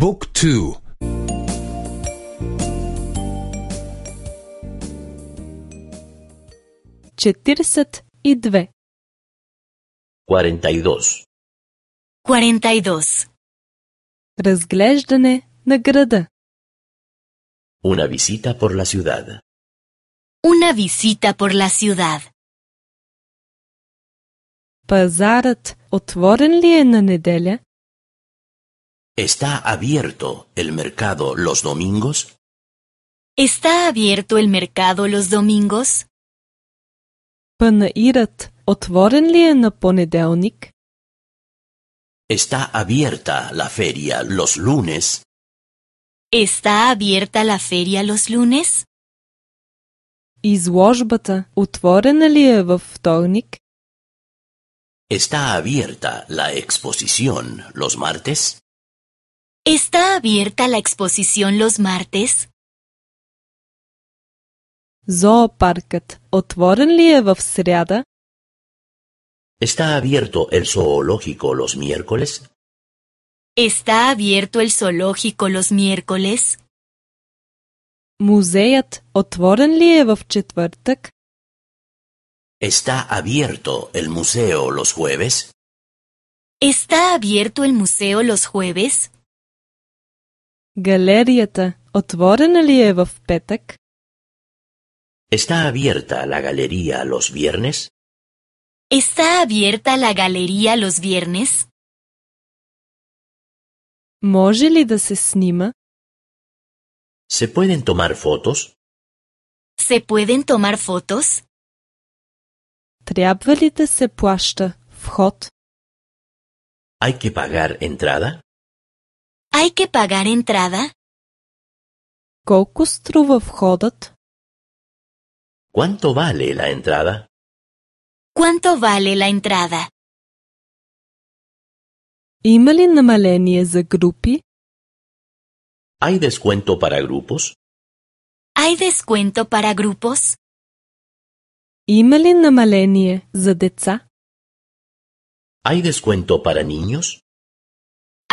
บุ๊กทู42 42. 42. Разглеждане на града. Una visita por la ciudad. Una visita por la ciudad. Пазарът отворен ли е на неделя? ¿Está abierto el mercado los domingos? ¿Está abierto el mercado los domingos? Панаирът отворен ли е на понеделник? ¿Está abierta la feria los lunes? ¿Está abierta la feria los lunes? Изложбата отворена ли е във вторник? ¿Está abierta la exposición los martes? ¿Está abierta la exposición los martes? Зоопаркът отворен ли е в сряда? ¿Está abierto el zoológico los miércoles? ¿Está abierto el zoológico los miércoles? Музеят отворен ли е в четвъртък? ¿Está abierto el museo los jueves? ¿Está abierto el museo los jueves? Галерията отворена ли е в петък? ¿Está abierta la galería los viernes? ¿Está abierta la galería los viernes? Може ли да се снима? ¿Se pueden tomar fotos? ¿Se pueden tomar fotos? Трябва ли да се плаща вход? ¿Hay que pagar entrada? ¿Hay que pagar entrada? Колко струва входът? ¿Cuánto vale la entrada? ¿Cuánto vale la entrada? Има ли намаление за групи? ¿Hay descuento para grupos? ¿Hay descuento para grupos? Има ли намаление за деца? ¿Hay descuento para niños?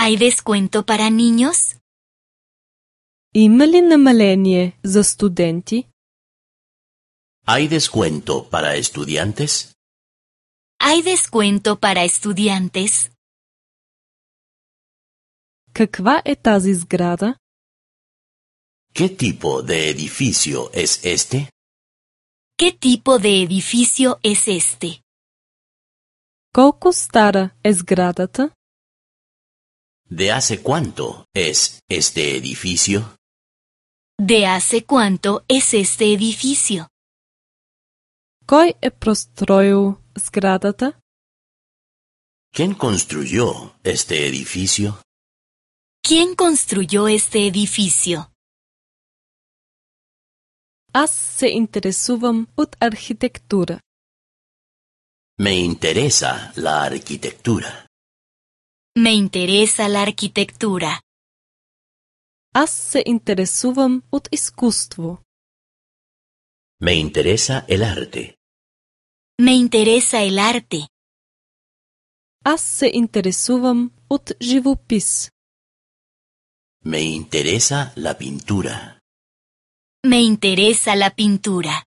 ¿Hay descuento para niños? Има ли намаление за студенти? ¿Hay descuento para estudiantes? ¿Hay descuento para estudiantes? Каква е тази сграда? ¿Qué tipo de edificio es este? ¿Qué tipo de edificio es este? Колко стара е сградата? ¿De hace cuánto es este edificio? ¿De hace cuánto es este edificio? Кой е простроил сградата? ¿Quién construyó este edificio? ¿Quién construyó este edificio? Аз се интересувам от архитектура. Me interesa la arquitectura. Me interesa la arquitectura. Аз се интересувам от изкуство. Me interesa el arte. Me interesa el arte. Аз се интересувам от живопис. Me interesa la pintura. Me interesa la pintura.